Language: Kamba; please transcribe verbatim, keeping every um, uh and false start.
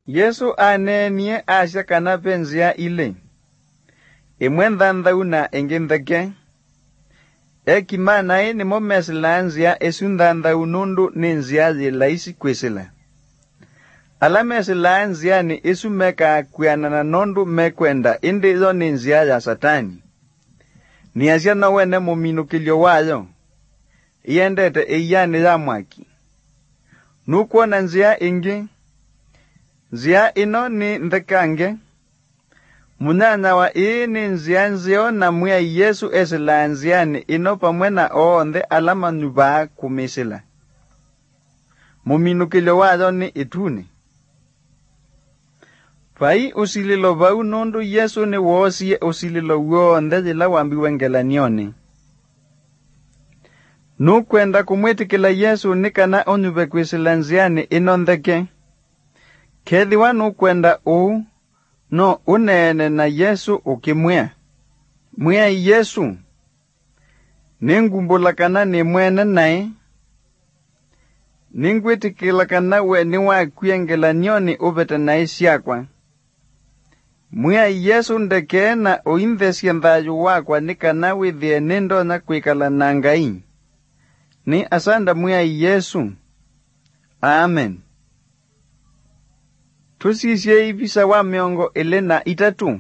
Yesũ aneenie asya kana ve nzĩa ilĩ, ĩmwe nthanthau na ĩngĩ ntheke. Eki ma naĩ nĩmo mesĩlaa nzĩa ĩsu nthanthau nũndũ nĩ nzĩa yĩ laisi kwĩsĩla. Ala mesĩlaa nzĩanĩ ĩsu mekaa kwĩanana nũndũ mekwenda, ĩndĩ yo nĩ nzĩa ya Satani. Nĩasya no wene mũminũkĩlyo wayo, ĩendete ĩianĩ ya mwaki. Nũkwona nzĩa ĩngĩ? Nzĩa ĩno nĩ nthekange. Mũnyanyawa ĩĩ nĩ nzĩa nzeo, na Mwĩai Yesũ esĩlaa nzĩanĩ ĩno vamwe na onthe ala manyuvaa kũmĩsĩla. Mũminũkĩlyo wayo nĩ ĩtunĩ. Vai ũsilĩlo vau, nũndũ Yesũ nĩwoosie ũsilĩlo w'onthe yĩla wambiwe ngelany'onĩ. Nũkwenda kũmwĩtĩkĩla Yesũ nĩ kana ũnyuve kwĩsĩla nzĩanĩ ĩno ntheke? Kethĩwa nũkwenda ũu, no ũneene na Yesũ ũkĩmwĩa, "Mwĩai Yesũ, nĩngumbũla kana nĩ mwene naĩ. Nĩngwĩtĩkĩla kana we nĩwakwie ngelany'onĩ ũvete naĩ syakwa. Mwĩai Yesũ, ndekee na ũinthesye thayũ wakwa nĩ kana wĩthĩe nĩndonya kwĩkala na Ngai. Nĩ asanda Mwĩai Yesũ. Amen." Tũsisye ivisa wa mĩongo ĩlĩ na itatũ.